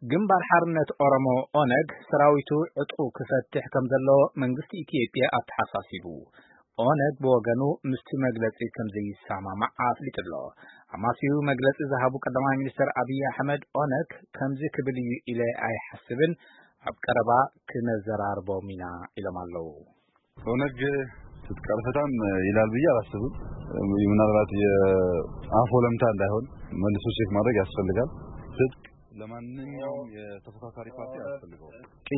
ግንባር ሓርነት ኦሮሞ፣ ኦነግ፣ ሰራዊቱ ዕጥቁ ክፈትሕ ከም ዘለዎ መንግስቲ ኢትዮጵያ ኣተሓሳሲቡ። ኦነግ ብወገኑ ምስቲ መግለጺ ከም ዘይሰማማዕ ኣፍሊጡ ኣሎ። ኣማስዩ መግለጺ ዝሃቡ ቀዳማይ ሚኒስትር ኣብይ ኣሕመድ፣ ኦነግ ከምዚ ክብል እዩ ኢለ ኣይሓስብን፣ ኣብ ቀረባ ክነዘራርቦም ኢና ኢሎም ኣለዉ። ኦነግ ትጥቅ አልፈታም ይላል ብዬ አላስብም። ምናልባት የአፍ ወለምታ እንዳይሆን መልሶ ቼክ ማድረግ ያስፈልጋል። ትጥቅ ለማንኛውም የተፎካካሪ ፓርቲ አያስፈልገውም።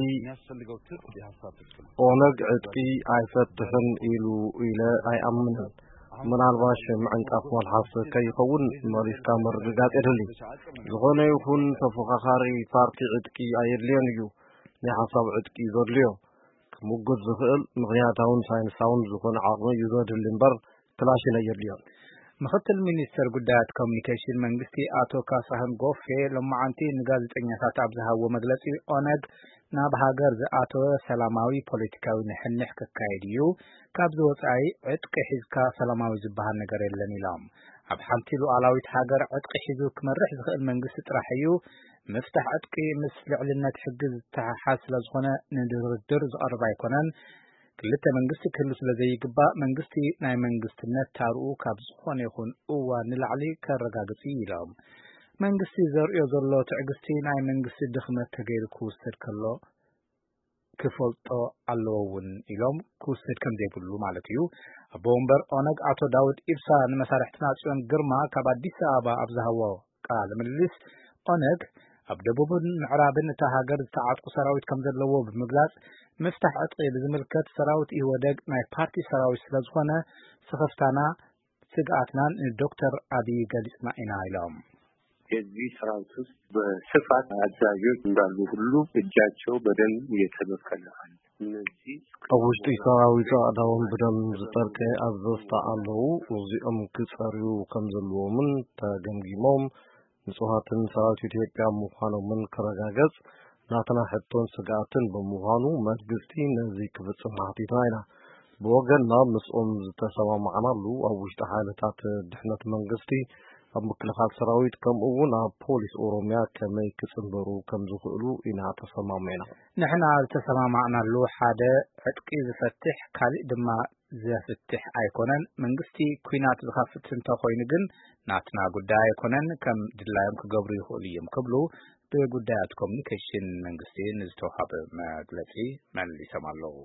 የሚያስፈልገው ትጥቅ የሀሳብ ትጥቅ ነው። ኦነግ ዕጥቂ ኣይፈትሕን ኢሉ ኢለ ኣይኣምንን። ምናልባሽ ምዕንቃፍ መልሓስ ከይኸውን መሊስካ ምርግጋጽ የድሊ። ዝኾነ ይኹን ተፎካካሪ ፓርቲ ዕጥቂ ኣየድልዮን እዩ። ናይ ሓሳብ ዕጥቂ እዩ ዘድልዮ። ክምጉት ዝኽእል ምኽንያታውን ሳይንሳውን ዝኾነ ዓቕሚ እዩ ዘድሊ እምበር ክላሽን ኣየድልዮን። ምኽትል ሚኒስትር ጉዳያት ኮሚኒኬሽን መንግስቲ ኣቶ ካሳሁን ጎፌ ሎማዓንቲ ንጋዜጠኛታት ኣብ ዝሃብዎ መግለጺ፣ ኦነግ ናብ ሃገር ዝኣተወ ሰላማዊ ፖለቲካዊ ንሕንሕ ክካየድ እዩ፣ ካብዚ ወጻኢ ዕጥቂ ሒዝካ ሰላማዊ ዝበሃል ነገር የለን ኢሎም። ኣብ ሓንቲ ሉዓላዊት ሃገር ዕጥቂ ሒዙ ክመርሕ ዝኽእል መንግስቲ ጥራሕ እዩ። ምፍታሕ ዕጥቂ ምስ ልዕልነት ሕጊ ዝተሓሓዝ ስለ ዝኾነ ንድርድር ዝቐርብ ኣይኮነን። ክልተ መንግስቲ ክህሉ ስለ ዘይግባእ መንግስቲ ናይ መንግስትነት ታርኡ ካብ ዝኾነ ይኹን እዋን ንላዕሊ ከረጋግጽ እዩ ኢሎም። መንግስቲ ዘርእዮ ዘሎ ትዕግስቲ ናይ መንግስቲ ድኽመት ተገይሩ ክውሰድ ከሎ ክፈልጦ ኣለዎ እውን ኢሎም፣ ክውሰድ ከም ዘይብሉ ማለት እዩ። ኣቦ ወንበር ኦነግ ኣቶ ዳውድ ኢብሳ ንመሳርሕትና ጽዮን ግርማ ካብ ኣዲስ ኣበባ ኣብ ዝሃቦ ቃለ ምልልስ፣ ኦነግ ኣብ ደቡብን ምዕራብን እታ ሃገር ዝተዓጥቁ ሰራዊት ከም ዘለዎ ብምግላጽ፣ ምፍታሕ ዕጥቂ ብዝምልከት ሰራዊት ኢህወደግ ናይ ፓርቲ ሰራዊት ስለ ዝኾነ ስኽፍታና ስግኣትናን ንዶክተር ኣብይ ገሊጽና ኢና ኢሎም። የዚህ ሰራዊት ውስጥ በስፋት አዛዦች እንዳሉ ሁሉ እጃቸው በደም እየተበቀለ አለ። እነዚህ ኣብ ውሽጢ ሰራዊት ኣእዳዎም ብደም ዝጠርቀ ኣዘዝታ ኣለዉ። እዚኦም ክጸርዩ ከም ዘለዎምን ተገምጊሞም ንጹሃትን ሰራዊት ኢትዮጵያ ምዃኖምን ክረጋገጽ ናትና ሕቶን ስግኣትን ብምዃኑ መንግስቲ ነዚ ክፍጽም ሓቲትና ኢና። ብወገንና ምስኦም ዝተሰማማዕናሉ ኣብ ውሽጢ ሓይልታት ድሕነት መንግስቲ፣ ኣብ ምክልኻል ሰራዊት ከምኡ እውን ኣብ ፖሊስ ኦሮሚያ ከመይ ክጽንበሩ ከም ዝኽእሉ ኢና ተሰማሚዕና። ንሕና ዝተሰማማዕናሉ ሓደ ዕጥቂ ዝፈትሕ ካሊእ ድማ ዘፍትሕ ኣይኮነን። መንግስቲ ኲናት ዝኸፍት እንተኾይኑ ግን ናትና ጉዳይ ኣይኮነን፣ ከም ድላዮም ክገብሩ ይኽእሉ እዮም ክብሉ ብጉዳያት ኮሚኒኬሽን መንግስቲ ንዝተዋሃበ መግለጺ መሊሶም ኣለዉ።